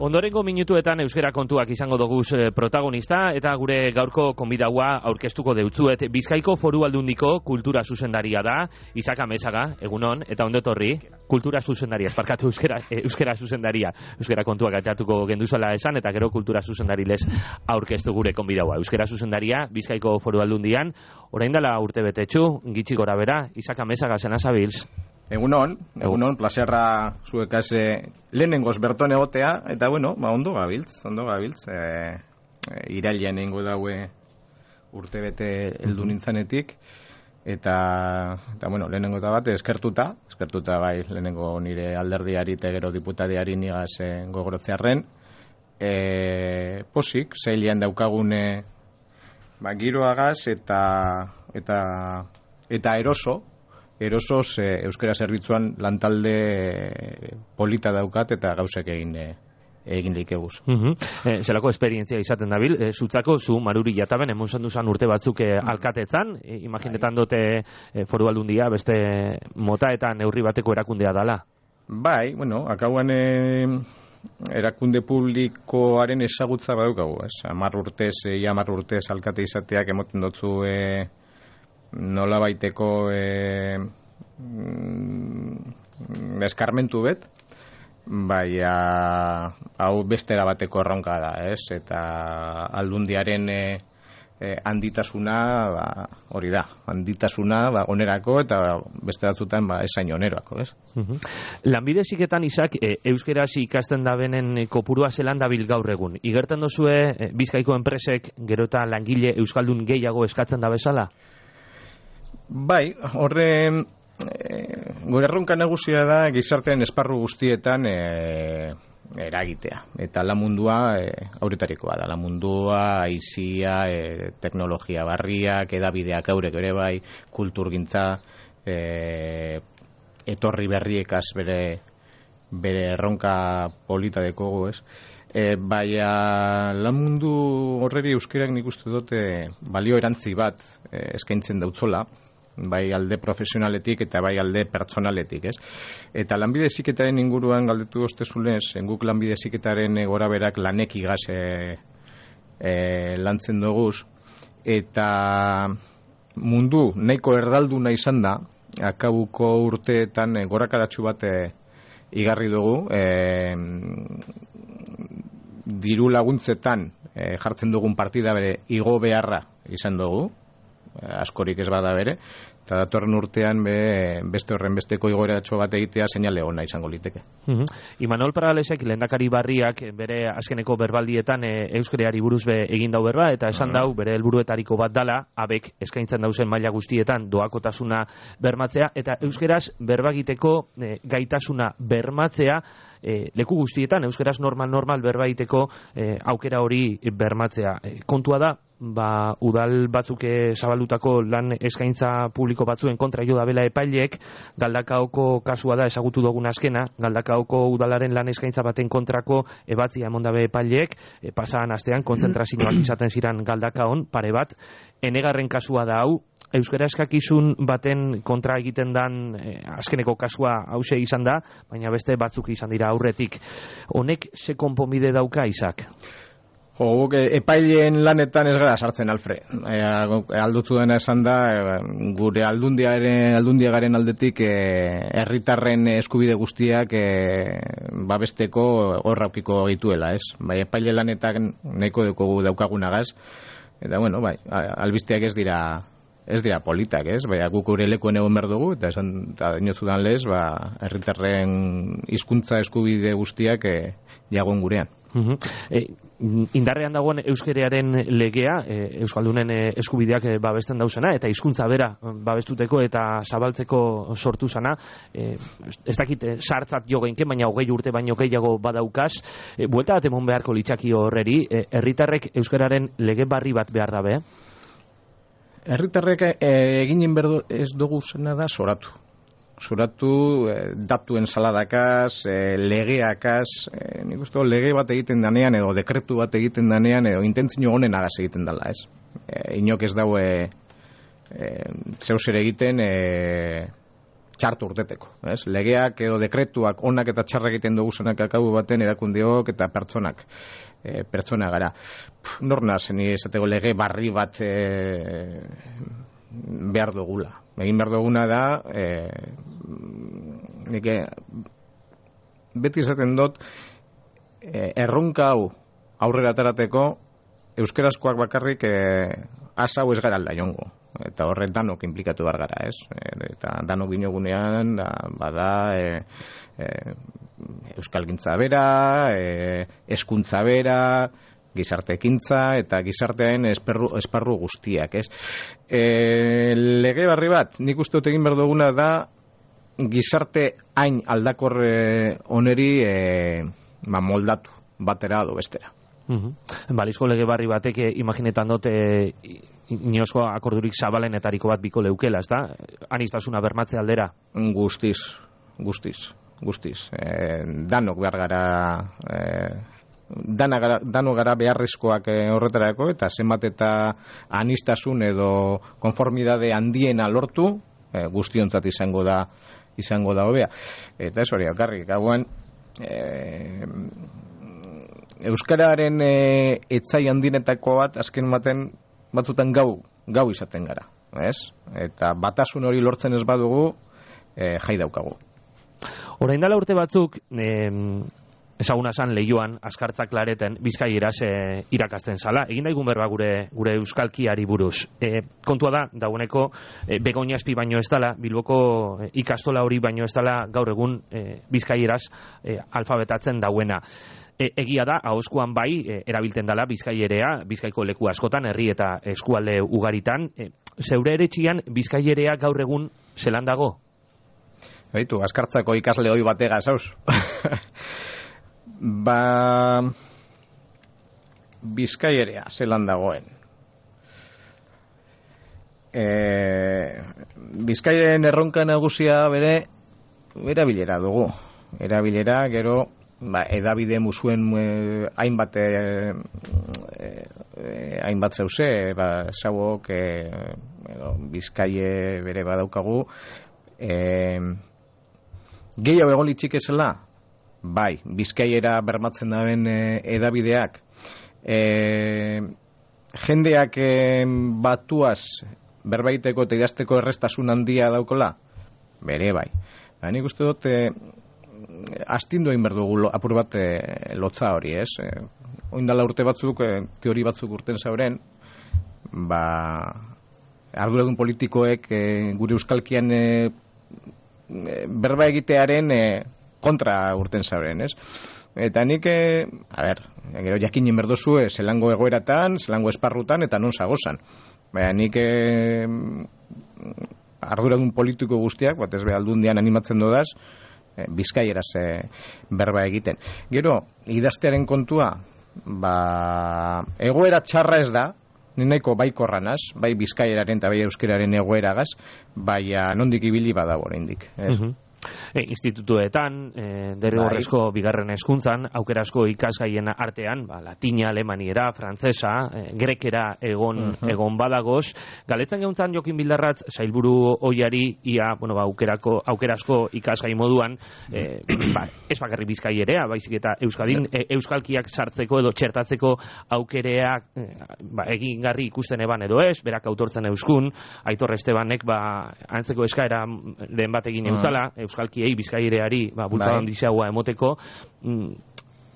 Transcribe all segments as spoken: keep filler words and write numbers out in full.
Ondorengo minutuetan euskera kontuak izango doguz protagonista eta gure gaurko konbidaua aurkeztuko deutzuet. Bizkaiko Foru Aldundiko kultura zuzendaria da, Isaka Mesaga, egunon, eta ondotorri, kultura zuzendaria, esparkatu euskera, euskera zuzendaria, euskera kontuak atatuko genduzala esan, eta gero kultura zuzendarilez aurkeztu gure konbidaua. Euskera zuzendaria, Bizkaiko Foru Aldundian, orain dela urte betetxu, gitxi gora bera, Isaka Mesaga, zena zabilz? Egunon, egunon, plaserra zuekaz eh, lehenengoz berton egotea, eta bueno, ba, ondo gabiltz, ondo gabiltz, eh, e, irailean egingo daue urte bete heldu nintzanetik, eta, eta bueno, lehenengo eta bat eskertuta, eskertuta bai lehenengo nire alderdiari eta gero diputadiari nigaz eh, gogorotzearren, eh, posik, zeilean daukagune ba, giroagaz eta, eta, eta eroso, erosoz eh, euskera zerbitzuan lantalde eh, polita daukat eta gauzek egin eh, egin leikeguz. Uh -huh. eh, zelako esperientzia izaten dabil, eh, zutzako zu Maruri jataben emonsan duzan urte batzuk eh, alkatetzan, eh, imaginetan dote eh, Foru Aldundia beste mota eta neurri bateko erakundea dala. Bai, bueno, akauan eh, erakunde publikoaren ezagutza badaukagu, ez? Hamar urtez, ia hamar urtez alkate izateak emoten dotzu eh, nola baiteko e, mm, eskarmentu bet, baina hau bestera bateko erronka da, ez? Eta aldundiaren e, e, handitasuna, ba, hori da, handitasuna ba, onerako eta beste batzutan ba, esain onerako, ez? Uh-huh. Lanbide heziketan Isak, e, euskeraz ikasten dabenen kopurua zelan dabil gaur egun. Igertzen dozue e, Bizkaiko enpresek gero eta langile euskaldun gehiago eskatzen da bezala? Bai, horre e, gure erronka nagusia da gizartean esparru guztietan e, eragitea. Eta la mundua e, aurretarikoa da. La mundua, aizia, e, teknologia barriak, edabideak aurek ere bai, kulturgintza, e, etorri berriekaz bere, bere erronka polita dekogu, ez? E, baina la mundu horreri euskerak nik uste dute balio erantzi bat e, eskaintzen dautzola, bai alde profesionaletik eta bai alde pertsonaletik, ez? Eta lanbide heziketaren inguruan galdetu ostezunez, guk lanbide heziketaren gora berak lanek igaz e, e, lantzen doguz, eta mundu nahiko erdalduna izan da, akabuko urteetan e, gorakadatxu bat e, igarri dugu, e, diru laguntzetan e, jartzen dugun partida bere igo beharra izan dugu, askorik ez bada bere, eta datorren urtean be, beste horren besteko igoeratxo bat egitea seinale ona izango liteke. Uh-huh. Imanol Paralesek lehendakari barriak bere azkeneko berbaldietan e, euskereari buruz be egin dau berba, eta esan uh-huh. dau bere helburuetariko bat dala, abek eskaintzen dauzen maila guztietan doakotasuna bermatzea, eta euskeraz berbagiteko e, gaitasuna bermatzea, E, leku guztietan, euskeraz normal-normal berbaiteko e, aukera hori bermatzea. E, kontua da, ba, udal batzuk zabaldutako lan eskaintza publiko batzuen kontra jo dabela epaileek, Galdakaoko kasua da ezagutu dugun azkena, Galdakaoko udalaren lan eskaintza baten kontrako ebatzia emondabe epaileek, e, pasadan astean kontzentrazioak izaten ziran Galdakaon, pare bat, enegarren kasua da hau, euskara eskakizun baten kontra egiten dan eh, azkeneko kasua hause izan da, baina beste batzuk izan dira aurretik. Honek ze konponbide dauka, Isak? Jo, guk epaileen lanetan ez gara sartzen, Alfred. E, aldutzu dena esan da, e, gure aldundiaren, aldundiagaren aldetik herritarren e, eskubide guztiak e, babesteko horraukiko gituela, ez? Bai, epaile lanetan nahiko dugu daukagunagaz, eta bueno, bai, albisteak ez dira ez dira politak, ez? Baina guk gure lekuen egon behar dugu, eta esan, eta inozudan lez, ba, herritarren hizkuntza eskubide guztiak e, jagon gurean. Uh-huh. E, indarrean dagoen euskerearen legea, e, euskaldunen e, eskubideak e, babesten dauzena, eta hizkuntza bera babestuteko eta zabaltzeko sortu zana, e, ez dakit e, sartzat jo geinke, baina hogei urte baino gehiago badaukaz, e, buelta bat emon beharko litzaki horreri, e, herritarrek euskararen lege barri bat behar dabe? Herritarrek e, eginen berdo ez dugu zena da soratu. Soratu e, datuen saladakaz, e, legeakaz, e, nik uste lege bat egiten danean edo dekretu bat egiten danean edo intentzio honen agaz egiten dela, ez? E, inok ez daue e, zeus ere egiten e, txartu urteteko, ez? Legeak edo dekretuak onak eta txarra egiten dugu zenak akabu baten erakundeok eta pertsonak, e, pertsona gara. Pff, norna zen esateko lege barri bat e, behar dugula. Egin behar duguna da, e, nike, beti esaten dut, e, erronka hau aurrera atarateko, euskarazkoak bakarrik e, asa hau ez gara alda jongo. Eta horret danok implikatu behar gara, ez? Eta danok dinogunean, da, bada, e, e, euskalgintza bera, e, eskuntza bera, gizartekintza eta gizartearen esparru, esparru guztiak, ez? E, lege barri bat, nik uste dut egin behar duguna da, gizarte hain aldakor oneri e, ba, moldatu, batera edo bestera. Uh-huh. Balizko lege barri batek imaginetan dut e, iniozko akordurik zabalenetariko bat biko leukela, ez da? Anistasuna bermatze aldera? Guztiz, guztiz, guztiz. E, danok behar gara, e, dana gara, danok gara beharrezkoak e, horretarako, eta zenbat eta anistasun edo konformidade handiena lortu, e, guztiontzat izango da, izango da hobea. Eta ez hori, alkarrik, gauan, e, euskararen e, etzai handinetako bat, azken baten, batzutan gau, gau izaten gara, ez? Eta batasun hori lortzen ez badugu, e, jai daukagu. Orain dela urte batzuk, eh, ezaguna zan lehioan, askartzak lareten, bizkaieraz e, irakasten zala. Egin daigun berba gure, gure euskalkiari buruz. E, kontua da, dagoeneko, e, Begoña espi baino ez dala, Bilboko e, ikastola hori baino ez dala, gaur egun e, bizkaieraz e, alfabetatzen dauena. E, egia da, ahozkoan bai, e, erabiltzen dela bizkaierea, bizkaiko leku askotan, herri eta eskualde ugaritan. E, zeure ere txian, bizkaierea gaur egun zelan dago? Baitu, askartzako ikasle hoi batega, zauz? Ba, bizkaierea zelan dagoen. E, Bizkaiaren erronka nagusia bere, erabilera dugu. Erabilera, gero, ba, edabide musuen eh, hainbat eh, eh, hainbat zeuze, ba, zauok eh, Bizkaie bere badaukagu, eh, gehiago egon litzik ezela, bai, Bizkaiera bermatzen daben eh, edabideak, eh, jendeak eh, batuaz berbaiteko eta idazteko errestasun handia daukola, bere bai. Ba, nik uste dut, eh, astindu egin behar dugu apur bat e, lotza hori, ez? E, oindala urte batzuk, e, teori batzuk urten zauren, ba, arduradun politikoek e, gure euskalkian e, e, berba egitearen e, kontra urten zauren, ez? Eta nik, e, a ber, gero jakinen berdozu, e, zelango egoeratan, zelango esparrutan, eta non zagozan. Baina nik e, arduradun politiko guztiak, bat ez be aldundian animatzen dodaz, Bizkaieraz e, berba egiten. Gero, idaztearen kontua, ba, egoera txarra ez da, ninaiko baikorra naz, bai bizkaieraren eta bai euskeraren egoeragaz, bai nondik ibili badago oraindik. Uh-huh. E, institutuetan, e, derrigorrezko bigarren hezkuntzan, aukerasko ikasgaien artean, ba, latina, alemaniera, frantzesa, e, grekera egon, uh-huh. egon badagoz. Galetzen geuntzan Jokin Bildarratz, sailburu oiari, ia, bueno, ba, aukerako, aukerasko ikasgai moduan, e, ba, ez bakarri bizkaierea, baizik eta Euskadin, e, euskalkiak sartzeko edo txertatzeko aukereak e, ba, egingarri ikusten eban edo ez, berak autortzen euskun, Aitor Estebanek, ba, antzeko eskaera den bat egin eutzala, uh-huh. euskalkiei, bizkaireari, ba, bultzadan bai. Diseagua emoteko, mm,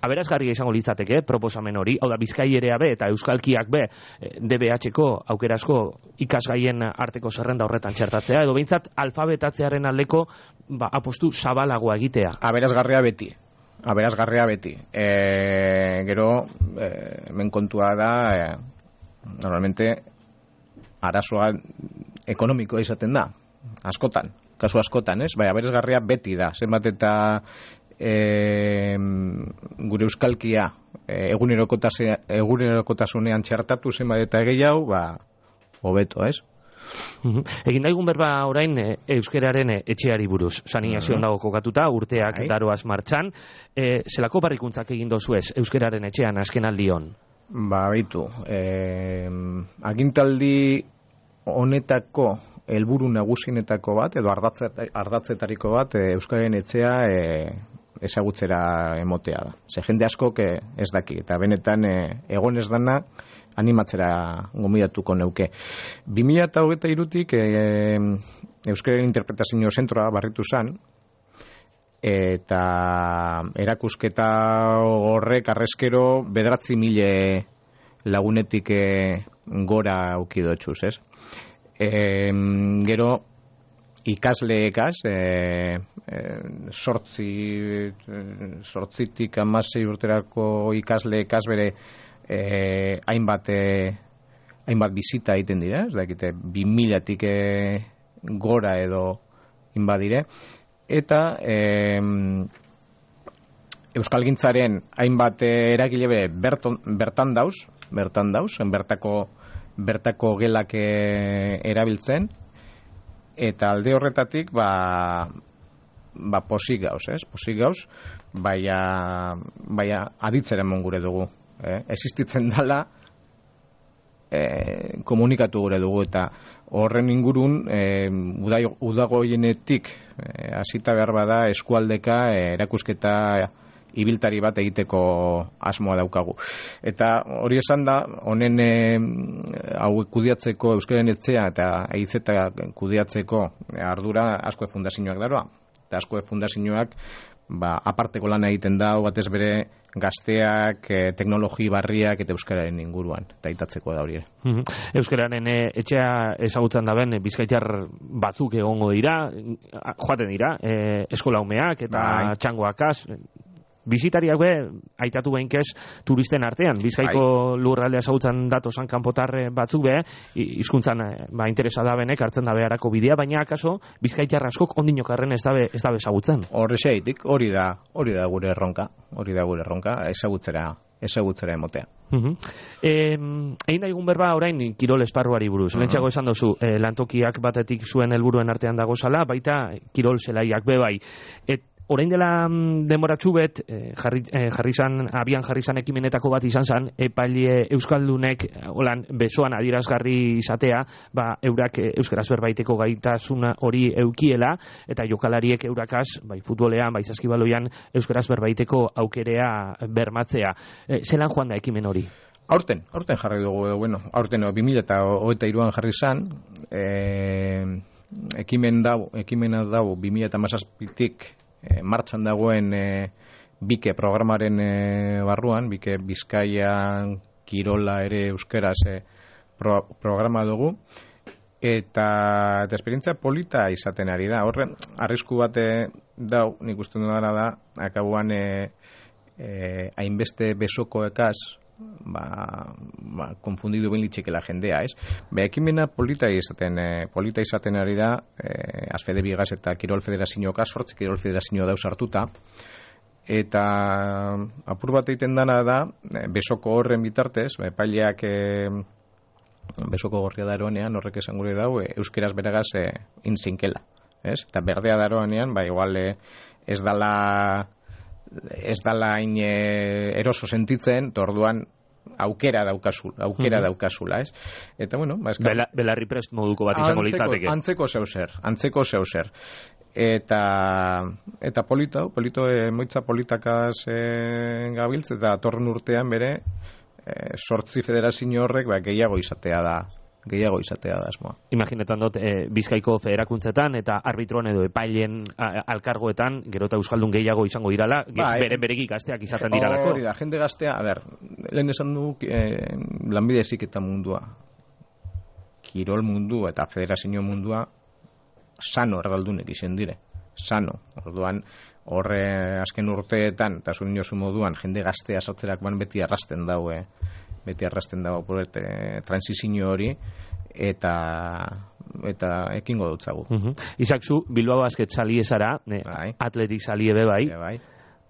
aberazgarria izango litzateke, proposamen hori, hau da, bizkaierea be, eta euskalkiak be, D B H-ko aukerasko ikasgaien arteko zerrenda horretan txertatzea, edo behintzat alfabetatzearen aldeko, ba, apostu zabalagoa egitea. Aberazgarria beti. Aberazgarria beti. E, gero, e, hemen kontua da, e, normalmente, arazoa ekonomikoa izaten da, askotan. Kasu askotan, ez? Bai, aberazgarria beti da. Zenbat eta e, gure euskalkia e, egunerokotasunean txertatu zenbat eta gehiago, ba, hobeto, ez? Uh-huh. Egin daigun berba orain e, euskeraren e, etxeari buruz. Sanizazioan uh-huh. dago kokatuta, urteak Ai. daroaz martxan. E, zelako barrikuntzak egin dozuez euskeraren etxean azken aldion? Ba, baitu. E, agintaldi honetako helburu nagusienetako bat, edo ardatzetariko bat, e, Euskararen etxea e, ezagutzera emotea da. Ze jende askok e, ez daki, eta benetan e, egon ez dana animatzera gomidatuko neuke. bi mila hogeita hirutik e, Euskararen interpretazio zentroa barritu zen, eta erakusketa horrek arrezkero bederatzi mile lagunetik e, gora aukidotxuz, ez? E, gero ikasleekaz e, e, sortzi sortzitik hamasei urterako ikasleekaz bere e, hainbat e, hainbat bizita egiten dira, ez dakite bi milatik e, gora edo inbadire, eta e, Euskalgintzaren hainbat eragile be berton, bertan dauz, bertan dauz, bertako bertako gelak e, erabiltzen, eta alde horretatik ba, ba posik gauz, ez? Posik gauz, baina, baina aditzera emon gure dugu. Eh? Existitzen dala e, komunikatu gure dugu, eta horren ingurun e, udagoienetik hasita e, behar bada eskualdeka e, erakusketa ibiltari bat egiteko asmoa daukagu. Eta hori esan da, honen e, hau kudiatzeko Euskararen etxea eta eizeta kudiatzeko ardura Azkue Fundazioak daroa. Eta Azkue Fundazioak ba, aparteko lana egiten da, batez bere gazteak, e, teknologi barriak eta Euskararen inguruan, eta itatzeko da hori ere. Euskararen e, etxea ezagutzen da ben, bizkaitar batzuk egongo dira, joaten dira, e, eskolaumeak eta bai. Txangoakaz, Bizitariak be, aitatu behinkez, turisten artean. Bizkaiko Ai. Lurraldea ezagutzen datosan kanpotar batzuk be, hizkuntzan ba, interesa da benek, hartzen da beharako bidea, baina akaso, bizkaitar askok ondinokarren ez dabe ez dabe ezagutzen. Horre xeitik, hori da, hori da gure erronka, hori da gure erronka, ezagutzera, ezagutzera emotea. Uh-huh. Eh, egin da egun berba orain kirol esparruari buruz. Uh-huh. Lentsago esan dozu, eh, lantokiak batetik zuen helburuen artean dago zala, baita kirol zelaiak be bai. Et, Orain dela denboratxu bet, eh, jarri, eh, jarri zan, abian jarri zan ekimenetako bat izan zan, epaile Euskaldunek holan besoan adierazgarri izatea, ba, eurak euskaraz berbaiteko gaitasuna hori eukiela, eta jokalariek eurakaz, bai futbolean, bai saskibaloian, euskaraz berbaiteko aukerea bermatzea. Eh, zelan joan da ekimen hori? Aurten, aurten jarri dugu, bueno, aurten no, bi mila hogeita hiruan jarri zan, eh, ekimen dau, ekimena dau bi mila hamazazpitik E, martxan dagoen e, Bike programaren e, barruan, Bike Bizkaian kirola ere euskeraz e, pro, programa dugu, eta, eta esperientzia polita izaten ari da. Horren, arrisku bat dau, nik uste dudana da, akabuan e, e, hainbeste besokoekaz, ba, ba, konfundidu ben litxekela jendea, ez? Be, ekimena polita izaten, e, polita izaten ari da, e, Azfede Bigaz eta Kirol Federazioak sortzi Kirol Federazio dauz hartuta, eta apur bat egiten dana da, e, besoko horren bitartez, e, paileak e, besoko gorria daroanean, horrek esan gure dau, e, euskeraz beragaz e, inzinkela, ez? Eta berdea daroanean, ba, igual e, ez dala ez dala hain e, eroso sentitzen, orduan aukera daukazula, aukera uh-huh. daukazula, ez? Eta bueno, ba, eskar... Bela, belarri prest moduko bat izango litzateke. Antzeko zeuser, antzeko zeuser. Eta eta polito, polito e, moitza politakaz e, gabiltz, eta torren urtean bere e, sortzi federazio horrek ba, gehiago izatea da. gehiago izatea da asmoa. Imaginetan dut, e, Bizkaiko federakuntzetan eta arbitron edo epailen a, alkargoetan, gero eta euskaldun gehiago izango dirala, ba, bere beregi gazteak izaten diralako. Hori da, jende gaztea, a ber, lehen esan du e, lanbide heziketa mundua, kirol mundua eta federazio mundua sano erdaldunek izen dire, sano. Orduan, horre azken urteetan, eta zuen jozu moduan, jende gaztea sartzerak ban beti arrasten daue, beti arrasten dago proiektu transizio hori, eta eta ekingo dutzagu. Uh-huh. Isak zu, Bilbao Basket salie zara, ne, bai. Atletik salie be bai. Be bai.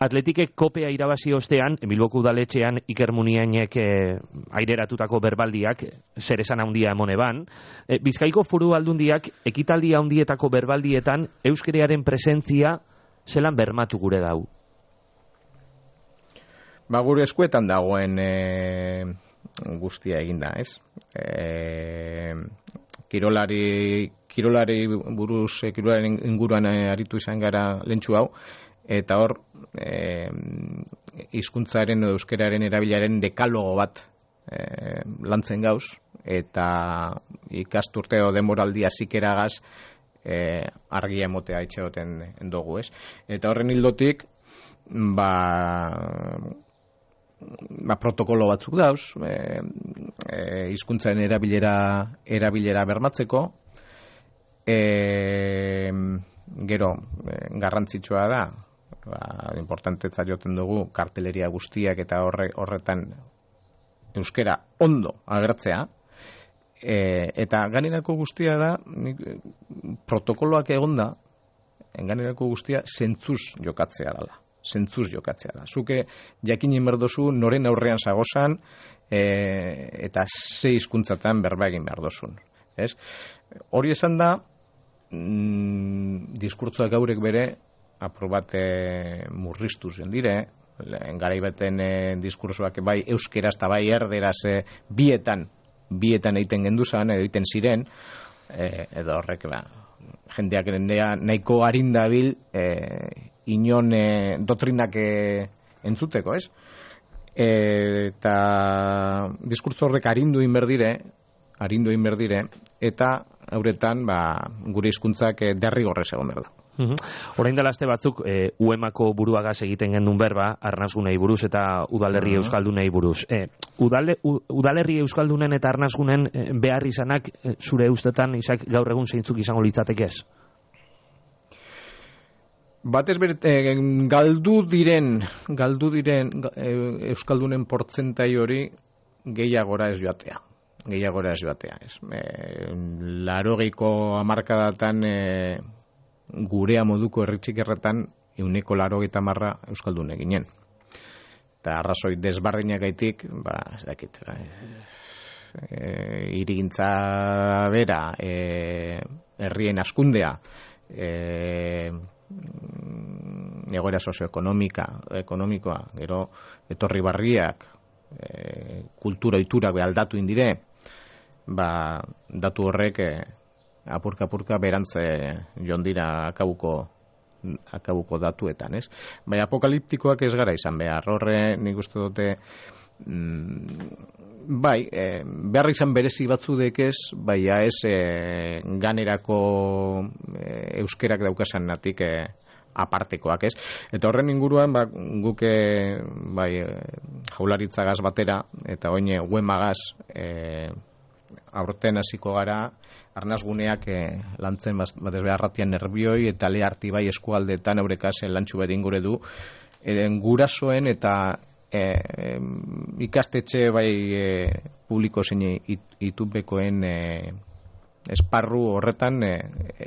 Atletikek kopea irabazi ostean, Bilboko udaletxean Iker Muniainek eh, aireratutako berbaldiak zer esan handia emone ban. Eh, Bizkaiko Foru Aldundiak ekitaldi handietako berbaldietan euskerearen presentzia zelan bermatu gure dau. Ba, gure eskuetan dagoen e, guztia eginda, ez? E, kirolari, kirolari buruz, e, kirolaren inguruan e, aritu izan gara lentsu hau, eta hor, e, hizkuntzaren edo euskeraren erabilaren dekalogo bat e, lantzen gauz, eta ikasturte o demoraldi hasikeragaz e, argia emotea itxegoten dugu, ez? Eta horren hildotik, ba, ba protokolo batzuk dauz, e, e, hizkuntzaren erabilera erabilera bermatzeko, e, gero e, garrantzitsua da, ba, importantetza joten dugu karteleria guztiak eta horre, horretan euskera ondo agertzea, e, eta gainerako guztia da, nik, protokoloak egonda, gainerako guztia zentzuz jokatzea dela. Zentzuz jokatzea da. Zuke jakinen berdozu noren aurrean zagozan e, eta ze hizkuntzatan berba egin behar dozun. Ez? Hori esan da, mm, diskurtzoak gaurek bere aprobate murriztu zen dire, garaibeten e, diskursoak bai euskeraz eta bai erderaz e, bietan, bietan egiten genduzan, edo egiten ziren, e, edo horrek, ba, jendeak erendea nahiko arindabil e, inon e, dotrinak e, entzuteko, ez? E, eta diskurtso horrek arindu inberdire, arindu inberdire, eta hauretan ba, gure hizkuntzak e, derrigorrez egon behar da. Uhum. Orain dela aste batzuk e, U E M ako buruagaz egiten gendun berba, arnazgunei buruz eta udalerri uh-huh. euskaldunei buruz. E, udale, u, udalerri euskaldunen eta arnazgunen e, behar izanak e, zure ustetan izak gaur egun zeintzuk izango litzateke ez? Batez bere, e, galdu diren, galdu diren e, euskaldunen portzentai hori gehiagora ez joatea. Gehiagora ez joatea. Ez. E, larogeiko hamarkadatan e, gurea moduko herritxik erretan euneko larogeita marra euskaldun eginen. Eta arrazoi desbardinagaitik, ba, ez dakit, e, irigintza bera, e, herrien askundea, e, egoera sozioekonomika, ekonomikoa, gero etorri barriak, e, kultura oiturak aldatu indire, ba, datu horrek e, apurka-apurka berantze joan dira akabuko, akabuko datuetan, ez? Bai, apokaliptikoak ez gara izan behar, horre nik uste dute, mm, bai, e, behar izan berezi batzudek ez, bai, ez e, ganerako e, euskerak daukasan natik e, apartekoak, ez? Eta horren inguruan, ba, guke bai, jaularitzagaz batera, eta oine uemagaz, e, aurten hasiko gara, arnazguneak e, lantzen batez behar ratian nerbioi eta leharti bai eskualdeetan eurekasen lantxu bedin gure du, e, gurasoen eta e, e, ikastetxe bai e, publiko zein it, itubekoen e, esparru horretan e,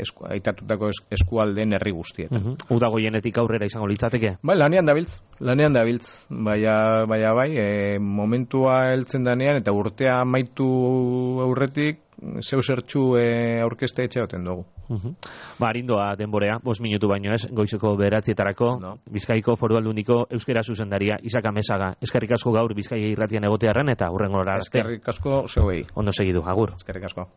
esku, aitatutako es, eskualdeen herri guztietan. Uh-huh. Uda goienetik aurrera izango litzateke? Bai, lanean dabiltz, lanean dabiltz. Baina, baina bai, e, momentua heltzen danean eta urtea amaitu aurretik zeu zertxu e, aurkeste etxeaten dugu. Uh-huh. Ba, arindoa denborea, bost minutu baino ez, goizeko bederatzietarako, no. Bizkaiko Foru Aldundiko euskera zuzendaria Isak Amezaga. Eskerrik asko gaur Bizkaia irratian egotearren eta hurrengora arte. Eskerrik asko zeuei. Ondo segidu, agur. Eskerrik asko.